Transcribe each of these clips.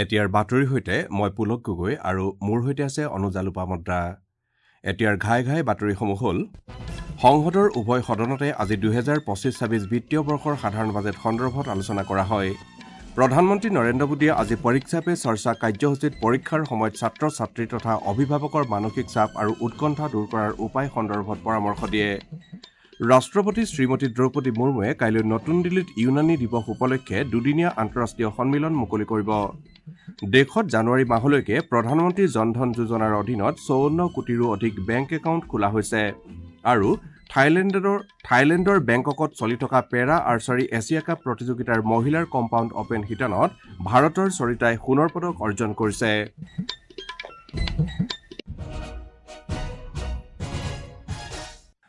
এতিয়াৰ বাতৰিৰ সৈতে মই পুলক গগৈ আৰু মোৰ সৈতে আছে অনুজা লোপামুদ্ৰা। এতিয়াৰ ঘাই ঘাই বাতৰিসমূহ হ'ল: সংসদৰ উভয় সদনতে আজি 2025-26 বিত্তীয় বৰ্ষৰ সাধাৰণ বাজেট সন্দৰ্ভত আলোচনা কৰা হয়। প্ৰধানমন্ত্ৰী নৰেন্দ্ৰ মোদীয়ে আজি পৰীক্ষা পে চৰ্চা কাৰ্যসূচীত পৰীক্ষাৰ সময়ত ছাত্ৰ ছাত্ৰী তথা অভিভাৱকৰ মানসিক চাপ আৰু উৎকণ্ঠা দূৰ কৰাৰ উপায় সন্দৰ্ভত পৰামৰ্শ দিয়ে। ৰাষ্ট্ৰপতি শ্ৰীমতী দ্ৰৌপদী মুৰ্মুৱে কাইলৈ নতুন দিল্লীত ইউনানী দিৱস উপলক্ষে দুদিনীয়া আন্তঃৰাষ্ট্ৰীয় সন্মিলন মুকলি কৰিব। দেশত জানুৱাৰী মাহলৈকে প্ৰধানমন্ত্ৰী জনধন যোজনাৰ অধীনত 54 কোটিৰো অধিক বেংক একাউণ্ট খোলা হৈছে। আৰু থাইলেণ্ডৰ বেংককত চলি থকা পেৰা আৰ্চাৰী এছিয়া কাপ প্ৰতিযোগিতাৰ মহিলাৰ কম্পাউণ্ড অপেন শিতানত ভাৰতৰ সৰিতাই সোণৰ পদক অৰ্জন কৰিছে।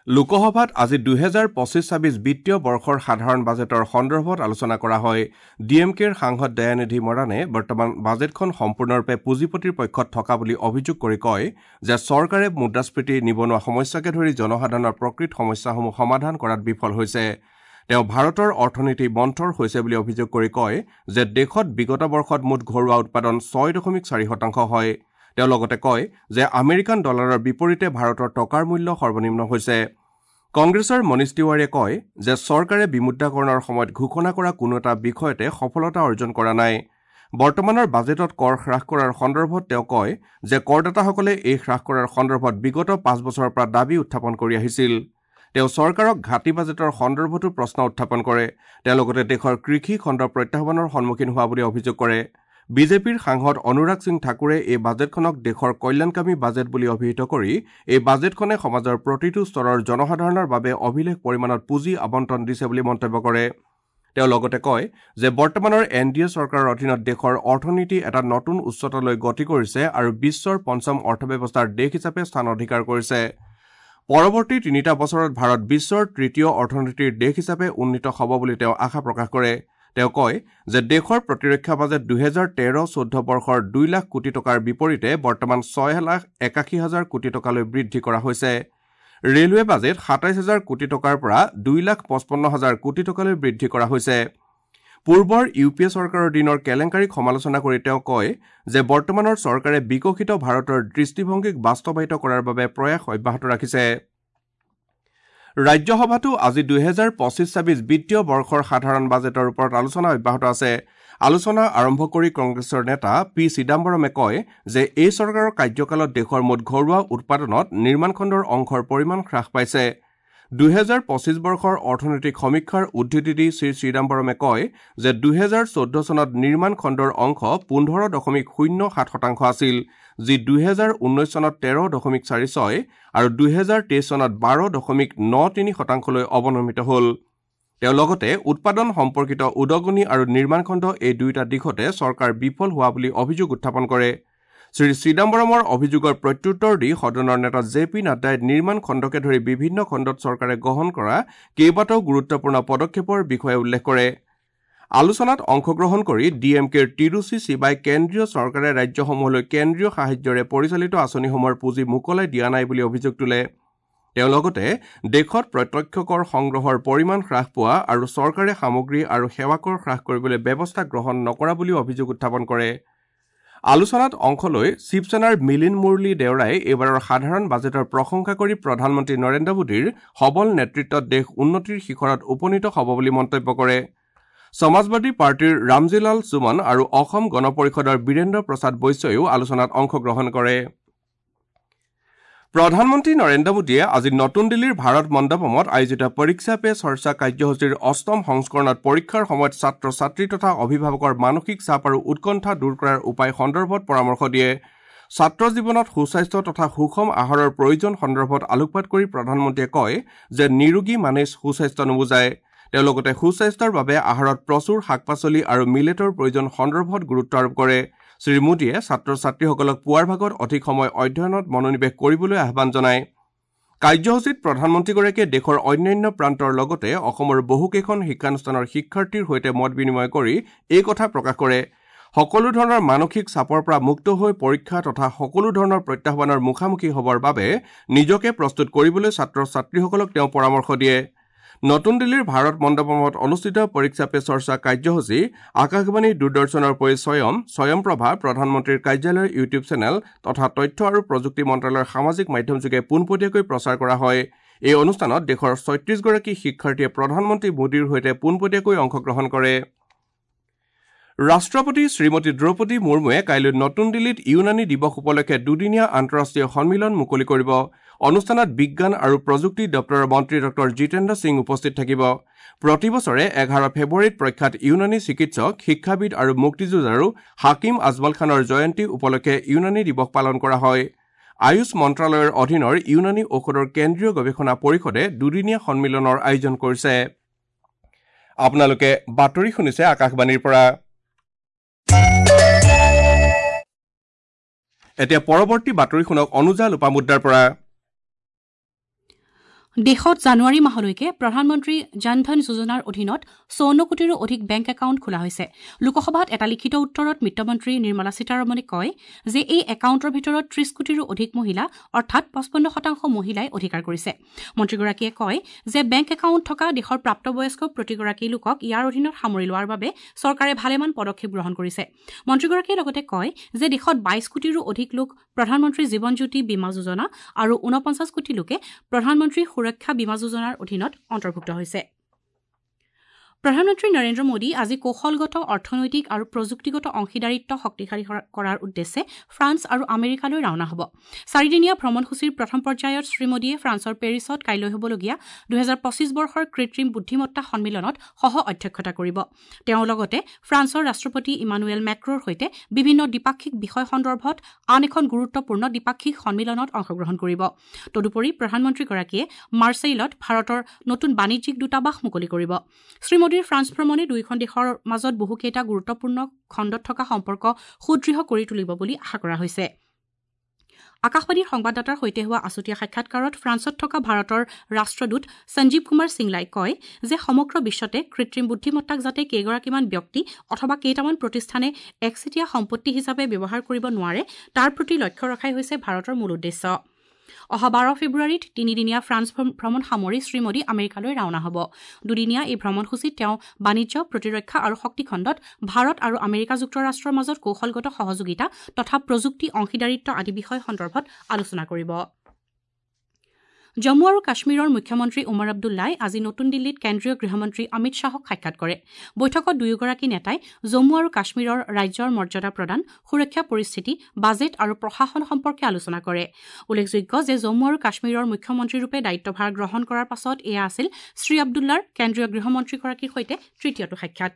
লোকসভাত আজি 2025-26 বিত্তীয় বৰ্ষৰ সাধাৰণ বাজেটৰ সন্দৰ্ভত আলোচনা কৰা হয়। ডি এম কেৰ সাংসদ দয়ানিধি মৰাণে বৰ্তমান বাজেটখন সম্পূৰ্ণৰূপে পুঁজিপতিৰ পক্ষত থকা বুলি অভিযোগ কৰি কয় যে চৰকাৰে মুদ্ৰাস্ফীতি, নিবনুৱা সমস্যাকে ধৰি জনসাধাৰণৰ প্ৰকৃত সমস্যাসমূহ সমাধান কৰাত বিফল হৈছে। তেওঁ ভাৰতৰ অৰ্থনীতি মন্থৰ হৈছে বুলি অভিযোগ কৰি কয় যে দেশত বিগত বৰ্ষত মুঠ ঘৰুৱা উৎপাদন 6.4% হয়। তেওঁ লগতে কয় যে আমেৰিকান ডলাৰৰ বিপৰীতে ভাৰতৰ টকাৰ মূল্য সৰ্বনিম্ন হৈছে। কংগ্ৰেছৰ মনীষ তিৱাৰীয়ে কয় যে চৰকাৰে বিমুদ্ৰাকৰণৰ সময়ত ঘোষণা কৰা কোনো এটা বিষয়তে সফলতা অৰ্জন কৰা নাই। বৰ্তমানৰ বাজেটত কৰ হ্ৰাস কৰাৰ সন্দৰ্ভত তেওঁ কয় যে কৰদাতাসকলে এই হ্ৰাস কৰাৰ সন্দৰ্ভত বিগত 5 বছৰৰ পৰা দাবী উত্থাপন কৰি আহিছিল। তেওঁ চৰকাৰক ঘাটি বাজেটৰ সন্দৰ্ভতো প্ৰশ্ন উত্থাপন কৰে। তেওঁ লগতে দেশৰ কৃষি খণ্ড প্ৰত্যাহ্বানৰ সন্মুখীন হোৱা বুলি অভিযোগ কৰে। বিজেপিৰ সাংসদ অনুৰাগ সিং ঠাকুৰে এই বাজেটখনক দেশৰ কল্যাণকামী বাজেট বুলি অভিহিত কৰি এই বাজেটখনে সমাজৰ প্ৰতিটো স্তৰৰ জনসাধাৰণৰ বাবে অভিলেখ পৰিমাণত পুঁজি আবণ্টন দিছে বুলি মন্তব্য কৰে। তেওঁ লগতে কয় যে বৰ্তমানৰ এন ডি এ চৰকাৰৰ অধীনত দেশৰ অৰ্থনীতি এটা নতুন উচ্চতালৈ গতি কৰিছে আৰু বিশ্বৰ পঞ্চম অৰ্থব্যৱস্থাৰ দেশ হিচাপে স্থান অধিকাৰ কৰিছে। পৰৱৰ্তী 3টা বছৰত ভাৰত বিশ্বৰ তৃতীয় অৰ্থনীতিৰ দেশ হিচাপে উন্নীত হ'ব বুলি তেওঁ আশা প্ৰকাশ কৰে। তেওঁ কয় যে দেশৰ প্ৰতিৰক্ষা বাজেট 2013-14 বৰ্ষৰ 2 লাখ কোটি টকাৰ বিপৰীতে বৰ্তমান 6,81,000 কোটি টকালৈ বৃদ্ধি কৰা হৈছে। ৰেলৱে বাজেট 27,000 কোটি টকাৰ পৰা 2,55,000 কোটি টকালৈ বৃদ্ধি কৰা হৈছে। পূৰ্বৰ ইউ পি এ চৰকাৰৰ দিনৰ কেলেংকাৰীক সমালোচনা কৰি তেওঁ কয় যে বৰ্তমানৰ চৰকাৰে বিকশিত ভাৰতৰ দৃষ্টিভংগীক বাস্তৱায়িত কৰাৰ বাবে প্ৰয়াস অব্যাহত ৰাখিছে। ৰাজ্যসভাতো আজি 2025-26 বিত্তীয় বৰ্ষৰ সাধাৰণ বাজেটৰ ওপৰত আলোচনা অব্যাহত আছে। আলোচনা আৰম্ভ কৰি কংগ্ৰেছৰ নেতা পি চিদাম্বৰমে কয় যে এই চৰকাৰৰ কাৰ্যকালত দেশৰ মুঠ ঘৰুৱা উৎপাদনত নিৰ্মাণ খণ্ডৰ অংশৰ পৰিমাণ হ্ৰাস পাইছে। 2025 বৰ্ষৰ অৰ্থনৈতিক সমীক্ষাৰ উদ্ধৃতি দি শ্ৰী চিদাম্বৰমে কয় যে 2014 চনত নিৰ্মাণ খণ্ডৰ অংশ 15.07% আছিল, যি 2019 চনত 13.46 আৰু 2023 চনত 12.93%লৈ অৱনমিত হ'ল। তেওঁ লগতে উৎপাদন সম্পৰ্কিত উদগনি আৰু নিৰ্মাণ খণ্ড এই দুয়োটা দিশতে চৰকাৰ বিফল হোৱা বুলি অভিযোগ উত্থাপন কৰে। শ্ৰী চিদাম্বৰমৰ অভিযোগৰ প্ৰত্যুত্তৰ দি সদনৰ নেতা জে পি নাড্ডাই নিৰ্মাণ খণ্ডকে ধৰি বিভিন্ন খণ্ডত চৰকাৰে গ্ৰহণ কৰা কেইবাটাও গুৰুত্বপূৰ্ণ পদক্ষেপৰ বিষয়ে উল্লেখ কৰে। আলোচনাত অংশগ্ৰহণ কৰি ডি এম কেৰ তিৰুচি শিৱাই কেন্দ্ৰীয় চৰকাৰে ৰাজ্যসমূহলৈ কেন্দ্ৰীয় সাহায্যৰে পৰিচালিত আঁচনিসমূহৰ পুঁজি মোকলাই দিয়া নাই বুলি অভিযোগ তোলে। তেওঁ লগতে দেশত প্ৰত্যক্ষ কৰ সংগ্ৰহৰ পৰিমাণ হ্ৰাস পোৱা আৰু চৰকাৰে সামগ্ৰী আৰু সেৱা কৰ হ্ৰাস কৰিবলৈ ব্যৱস্থা গ্ৰহণ নকৰা বুলিও অভিযোগ উত্থাপন কৰে। আলোচনাত অংশ লৈ শিৱসেনাৰ মিলিন মুৰলী দেওৰাই এইবাৰৰ সাধাৰণ বাজেটৰ প্ৰশংসা কৰি প্ৰধানমন্ত্ৰী নৰেন্দ্ৰ মোদীৰ সবল নেতৃত্বত দেশ উন্নতিৰ শিখৰত উপনীত হ'ব বুলি মন্তব্য কৰে। সমাজবাদী পাৰ্টীৰ ৰামজীলাল সুমন আৰু অসম গণ পৰিষদৰ বীৰেন্দ্ৰ প্ৰসাদ বৈশ্যইও আলোচনাত অংশগ্ৰহণ কৰে। প্ৰধানমন্ত্ৰী নৰেন্দ্ৰ মোদীয়ে আজি নতুন দিল্লীৰ ভাৰত মণ্ডপমত আয়োজিত পৰীক্ষা পে চৰ্চা কাৰ্যসূচীৰ 8ম সংস্কৰণত পৰীক্ষাৰ সময়ত ছাত্ৰ ছাত্ৰী তথা অভিভাৱকৰ মানসিক চাপ আৰু উৎকণ্ঠা দূৰ কৰাৰ উপায় সন্দৰ্ভত পৰামৰ্শ দিয়ে। ছাত্ৰ জীৱনত সুস্বাস্থ্য তথা সুষম আহাৰৰ প্ৰয়োজন সন্দৰ্ভত আলোকপাত কৰি প্ৰধানমন্ত্ৰীয়ে কয় যে নিৰোগী মানে সুস্বাস্থ্য নুবুজায়। তেওঁ লগতে সুস্বাস্থ্যৰ বাবে আহাৰত প্ৰচুৰ শাক পাচলি আৰু মিলেটৰ প্ৰয়োজন সন্দৰ্ভত গুৰুত্ব আৰোপ কৰে। শ্ৰী মোদীয়ে ছাত্ৰ ছাত্ৰীসকলক পুৱাৰ ভাগত অধিক সময় অধ্যয়নত মনোনিৱেশ কৰিবলৈ আহ্বান জনায়। কাৰ্যসূচীত প্ৰধানমন্ত্ৰীগৰাকীয়ে দেশৰ অন্যান্য প্ৰান্তৰ লগতে অসমৰ বহুকেইখন শিক্ষানুষ্ঠানৰ শিক্ষাৰ্থীৰ সৈতে মত বিনিময় কৰি এই কথা প্ৰকাশ কৰে। সকলো ধৰণৰ মানসিক চাপৰ পৰা মুক্ত হৈ পৰীক্ষা তথা সকলো ধৰণৰ প্ৰত্যাহ্বানৰ মুখামুখি হ'বৰ বাবে নিজকে প্ৰস্তুত কৰিবলৈ ছাত্ৰ ছাত্ৰীসকলক তেওঁ পৰামৰ্শ দিয়ে। নতুন দিল্লীৰ ভাৰত মণ্ডপমত অনুষ্ঠিত পৰীক্ষা পে চৰ্চা কাৰ্যসূচী আকাশবাণী, দূৰদৰ্শনৰ উপৰি স্বয়ংপ্ৰভা, প্ৰধানমন্ত্ৰীৰ কাৰ্যালয়ৰ ইউটিউব চেনেল তথা তথ্য আৰু প্ৰযুক্তি মন্ত্ৰালয়ৰ সামাজিক মাধ্যমযোগে পোনপটীয়াকৈ প্ৰচাৰ কৰা হয়। এই অনুষ্ঠানত দেশৰ 36গৰাকী শিক্ষাৰ্থীয়ে প্ৰধানমন্ত্ৰী মোদীৰ সৈতে পোনপটীয়াকৈ অংশগ্ৰহণ কৰে। ৰাষ্ট্ৰপতি শ্ৰীমতী দ্ৰৌপদী মুৰ্মুৱে কাইলৈ নতুন দিল্লীত ইউনানী দিৱস উপলক্ষে দুদিনীয়া আন্তঃৰাষ্ট্ৰীয় সন্মিলন মুকলি কৰিব। অনুষ্ঠানত বিজ্ঞান আৰু প্ৰযুক্তি দপ্তৰৰ মন্ত্ৰী ডঃ জিতেন্দ্ৰ সিং উপস্থিত থাকিব। প্ৰতি বছৰে 11 ফেব্ৰুৱাৰীত প্ৰখ্যাত ইউনানী চিকিৎসক, শিক্ষাবিদ আৰু মুক্তিযুঁজাৰু হাকিম আজমল খানৰ জয়ন্তী উপলক্ষে ইউনানী দিৱস পালন কৰা হয়। আয়ুষ মন্ত্ৰালয়ৰ অধীনৰ ইউনানী ঔষধৰ কেন্দ্ৰীয় গৱেষণা পৰিষদে দুদিনীয়া সন্মিলনৰ আয়োজন কৰিছে। আপোনালোকে বাতৰি শুনিছে আকাশবাণীৰ পৰা। এতিয়া পৰৱৰ্তী বাতৰি শুনক অনুজা লোপামুদ্ৰাৰ পৰা। দেশত জানুৱাৰী মাহলৈকে প্ৰধানমন্ত্ৰী জন ধন যোজনাৰ অধীনত 54 কোটিৰো অধিক বেংক একাউণ্ট খোলা হৈছে। লোকসভাত এটা লিখিত উত্তৰত বিত্তমন্ত্ৰী নিৰ্মলা সীতাৰমণে কয় যে এই একাউণ্টৰ ভিতৰত 30 কোটিৰো অধিক মহিলা অৰ্থাৎ 55% মহিলাই অধিকাৰ কৰিছে। মন্ত্ৰীগৰাকীয়ে কয় যে বেংক একাউণ্ট থকা দেশৰ প্ৰাপ্তবয়স্ক প্ৰতিগৰাকী লোকক ইয়াৰ অধীনত সামৰি লোৱাৰ বাবে চৰকাৰে ভালেমান পদক্ষেপ গ্ৰহণ কৰিছে। মন্ত্ৰীগৰাকীয়ে লগতে কয় যে দেশত 22 কোটিৰো অধিক লোক প্ৰধানমন্ত্ৰী জীৱন জ্যোতি বীমা যোজনা আৰু 49 কোটি লোকে প্ৰধানমন্ত্ৰী সুৰক্ষা বীমা যোজনাৰ অধীনত অন্তৰ্ভুক্ত হৈছে। প্ৰধানমন্ত্ৰী নৰেন্দ্ৰ মোদী আজি কৌশলগত, অৰ্থনৈতিক আৰু প্ৰযুক্তিগত অংশীদাৰিত্ব শক্তিশালী কৰাৰ উদ্দেশ্যে ফ্ৰান্স আৰু আমেৰিকালৈ ৰাওনা হ'ব। চাৰিদিনীয়া ভ্ৰমণসূচীৰ প্ৰথম পৰ্যায়ত শ্ৰীমোদীয়ে ফ্ৰান্সৰ পেৰিছত কাইলৈ হ'বলগীয়া 2025 বৰ্ষৰ কৃত্ৰিম বুদ্ধিমত্তা সন্মিলনত সহ অধ্যক্ষতা কৰিব। তেওঁ লগতে ফ্ৰান্সৰ ৰাষ্ট্ৰপতি ইমানুৱেল মেক্ৰ'ৰ সৈতে বিভিন্ন দ্বিপাক্ষিক বিষয় সন্দৰ্ভত আন এখন গুৰুত্বপূৰ্ণ দ্বিপাক্ষিক সন্মিলনত অংশগ্ৰহণ কৰিব। তদুপৰি প্ৰধানমন্ত্ৰীগৰাকীয়ে মাৰ্ছেইলত ভাৰতৰ নতুন বাণিজ্যিক দূতাবাস মুকলি কৰিব। শ্ৰীমোদীৰ ফ্ৰান্স ভ্ৰমণে দুয়োখন দেশৰ মাজত বহুকেইটা গুৰুত্বপূৰ্ণ খণ্ডত থকা সম্পৰ্ক সুদৃঢ় কৰি তুলিব বুলি আশা কৰা হৈছে। আকাশবাণীৰ সংবাদদাতাৰ সৈতে হোৱা আছুতীয়া সাক্ষাৎকাৰত ফ্ৰান্সত থকা ভাৰতৰ ৰাষ্ট্ৰদূত সঞ্জীৱ কুমাৰ সিংলাই কয় যে সমগ্ৰ বিশ্বতে কৃত্ৰিম বুদ্ধিমত্তাক যাতে কেইগৰাকীমান ব্যক্তি অথবা কেইটামান প্ৰতিষ্ঠানে একচেটিয়া সম্পত্তি হিচাপে ব্যৱহাৰ কৰিব নোৱাৰে তাৰ প্ৰতি লক্ষ্য ৰখাই হৈছে ভাৰতৰ মূল উদ্দেশ্য। অহা 12 ফেব্ৰুৱাৰীত তিনিদিনীয়া ফ্ৰান্স ভ্ৰমণ সামৰি শ্ৰীমোদী আমেৰিকালৈ ৰাওনা হ'ব। দুদিনীয়া এই ভ্ৰমণসূচীত তেওঁ বাণিজ্য, প্ৰতিৰক্ষা আৰু শক্তিখণ্ডত ভাৰত আৰু আমেৰিকা যুক্তৰাষ্ট্ৰৰ মাজত কৌশলগত সহযোগিতা তথা প্ৰযুক্তি অংশীদাৰিত্ব আদি বিষয় সন্দৰ্ভত আলোচনা কৰিব। জম্মু আৰু কাশ্মীৰৰ মুখ্যমন্ত্ৰী ওমৰ আব্দুল্লাই আজি নতুন দিল্লীত কেন্দ্ৰীয় গৃহমন্ত্ৰী অমিত শ্বাহক সাক্ষাৎ কৰে। বৈঠকত দুয়োগৰাকী নেতাই জম্মু আৰু কাশ্মীৰৰ ৰাজ্যৰ মৰ্যাদা প্ৰদান, সুৰক্ষা পৰিস্থিতি, বাজেট আৰু প্ৰশাসন সম্পৰ্কে আলোচনা কৰে। উল্লেখযোগ্য যে জম্মু আৰু কাশ্মীৰৰ মুখ্যমন্ত্ৰীৰূপে দায়িত্বভাৰ গ্ৰহণ কৰাৰ পাছত এয়া আছিল শ্ৰী আব্দুল্লাৰ কেন্দ্ৰীয় গৃহমন্ত্ৰীগৰাকীৰ সৈতে তৃতীয়টো সাক্ষাৎ।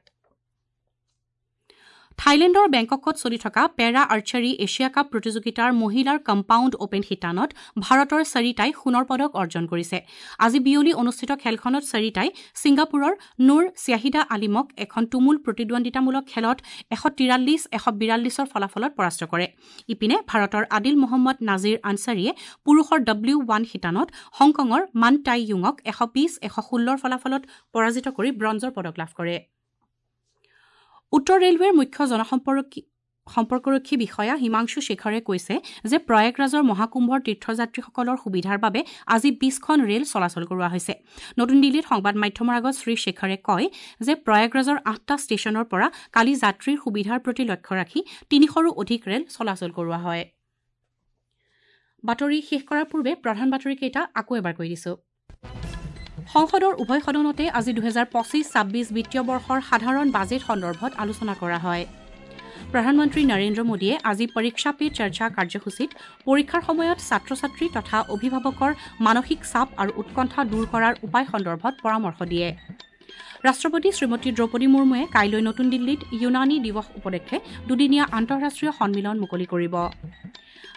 থাইলেণ্ডৰ বেংককত চলি থকা পেৰা আৰ্চাৰী এছিয়া কাপ প্ৰতিযোগিতাৰ মহিলাৰ কম্পাউণ্ড অপেন শিতানত ভাৰতৰ সৰিতাই সোণৰ পদক অৰ্জন কৰিছে। আজি বিয়লি অনুষ্ঠিত খেলখনত সৰিতাই ছিংগাপুৰৰ নুৰ শ্যাহিদা আলিমক এখন তুমুল প্ৰতিদ্বন্দ্বিতামূলক খেলত 143-142 ফলাফলত পৰাস্ত কৰে। ইপিনে ভাৰতৰ আদিল মহম্মদ নাজিৰ আনছাৰীয়ে পুৰুষৰ W1 শিতানত হংকঙৰ মান টাই য়ুঙক 120-116 ফলাফলত পৰাজিত কৰি ব্ৰঞ্জৰ পদক লাভ কৰে। উত্তৰ ৰেলৱেৰ মুখ্য জনসম্পৰ্কৰক্ষী বিষয়া হিমাংশু শেখৰে কৈছে যে প্ৰয়াগৰাজৰ মহাকুম্ভৰ তীৰ্থযাত্ৰীসকলৰ সুবিধাৰ বাবে আজি 20খন ৰেল চলাচল কৰোৱা হৈছে। নতুন দিল্লীত সংবাদ মাধ্যমৰ আগত শ্ৰী শেখৰে কয় যে প্ৰয়াগৰাজৰ 8টা ষ্টেচনৰ পৰা কালি যাত্ৰীৰ সুবিধাৰ প্ৰতি লক্ষ্য ৰাখি 300ৰো অধিক ৰেল চলাচল কৰোৱা হয়। বাতৰি শেষ কৰাৰ পূৰ্বে প্ৰধান বাতৰিকেইটা আকৌ এবাৰ কৈ দিছো। সংসদৰ উভয় সদনতে আজি 2025-26 বিত্তীয় বৰ্ষৰ সাধাৰণ বাজেট সন্দৰ্ভত আলোচনা কৰা হয়। প্ৰধানমন্ত্ৰী নৰেন্দ্ৰ মোদীয়ে আজি পৰীক্ষা পে চৰ্চা কাৰ্যসূচীত পৰীক্ষাৰ সময়ত ছাত্ৰ-ছাত্ৰী তথা অভিভাৱকৰ মানসিক চাপ আৰু উৎকণ্ঠা দূৰ কৰাৰ উপায় সন্দৰ্ভত পৰামৰ্শ দিয়ে। ৰাষ্ট্ৰপতি শ্ৰীমতী দ্ৰৌপদী মুৰ্মুৱে কাইলৈ নতুন দিল্লীত ইউনানী দিৱস উপলক্ষে দুদিনীয়া আন্তঃৰাষ্ট্ৰীয় সন্মিলন মুকলি কৰিব।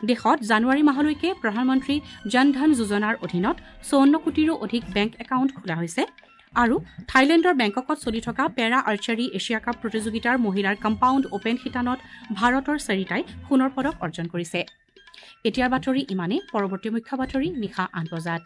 দেশত জানুৱাৰী মাহলৈকে প্ৰধানমন্ত্ৰী জন ধন যোজনাৰ অধীনত 54 কোটিৰো অধিক বেংক একাউণ্ট খোলা হৈছে আৰু থাইলেণ্ডৰ বেংককত চলি থকা পেৰা আৰ্চাৰী এছিয়া কাপ প্ৰতিযোগিতাৰ মহিলাৰ কম্পাউণ্ড অপেন শিতানত ভাৰতৰ সৰিতাই সোণৰ পদক অৰ্জন কৰিছে। এতিয়াৰ বাতৰি ইমানেই। পৰৱৰ্তী মুখ্য বাতৰি নিশা 8 বজাত।